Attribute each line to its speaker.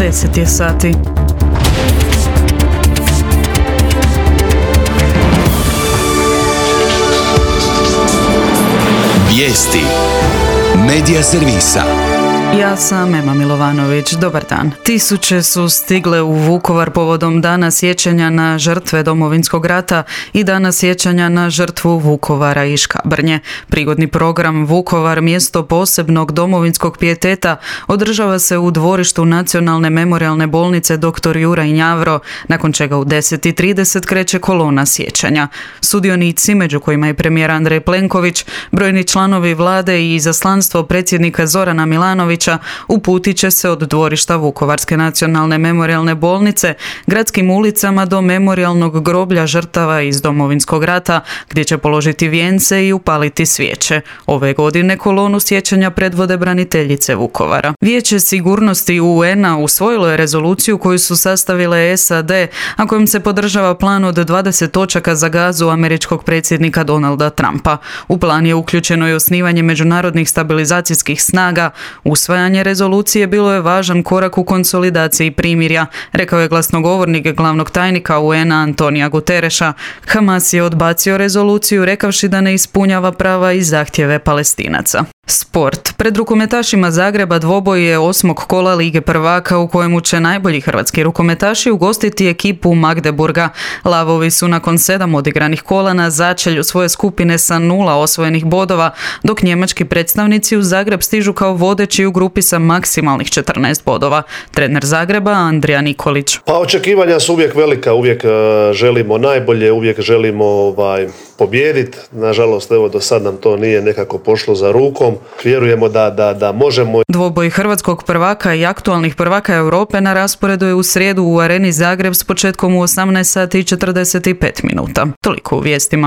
Speaker 1: 10 je sati.
Speaker 2: Vijesti Medija servisa.
Speaker 1: Ja sam Ema Milovanović, dobar dan. Tisuće su stigle u Vukovar povodom Dana sjećanja na žrtve Domovinskog rata i Dana sjećanja na žrtvu Vukovara i Škabrnje. Prigodni program Vukovar, mjesto posebnog domovinskog pijeteta, održava se u dvorištu Nacionalne memorijalne bolnice dr. Juraj Njavro, nakon čega u 10:30 kreće kolona sjećanja. Sudionici, među kojima je premijer Andrej Plenković, brojni članovi vlade i izaslanstvo predsjednika Zorana Milanovića, uputit će se od dvorišta Vukovarske nacionalne memorijalne bolnice gradskim ulicama do memorijalnog groblja žrtava iz Domovinskog rata, gdje će položiti vijence i upaliti svijeće. Ove godine kolonu sjećanja predvode braniteljice Vukovara. Vijeće sigurnosti UN-a usvojilo je rezoluciju koju su sastavile SAD, a kojom se podržava plan od 20 točaka za Gazu američkog predsjednika Donalda Trumpa. U plan je uključeno i osnivanje međunarodnih stabilizacijskih snaga. Usvajanje rezolucije bilo je važan korak u konsolidaciji primirja, rekao je glasnogovornik glavnog tajnika UN-a Antonija Gutereša. Hamas je odbacio rezoluciju rekavši da ne ispunjava prava i zahtjeve Palestinaca. Sport. Pred rukometašima Zagreba dvoboj je 8. kola Lige prvaka u kojemu će najbolji hrvatski rukometaši ugostiti ekipu Magdeburga. Lavovi su nakon 7 odigranih kola na začelju svoje skupine sa 0 osvojenih bodova, dok njemački predstavnici u Zagreb stižu kao vodeći u grupi sa maksimalnih 14 bodova. Trener Zagreba Andrija Nikolić.
Speaker 3: Pa očekivanja su uvijek velika, uvijek želimo najbolje, uvijek želimo pobijediti. Nažalost, do sad nam to nije nekako pošlo za rukom. Vjerujemo da možemo.
Speaker 1: Dvoboj hrvatskog prvaka i aktualnih prvaka Europe na rasporedu je u srijedu u Areni Zagreb s početkom u 18:45. Toliko u vijestima.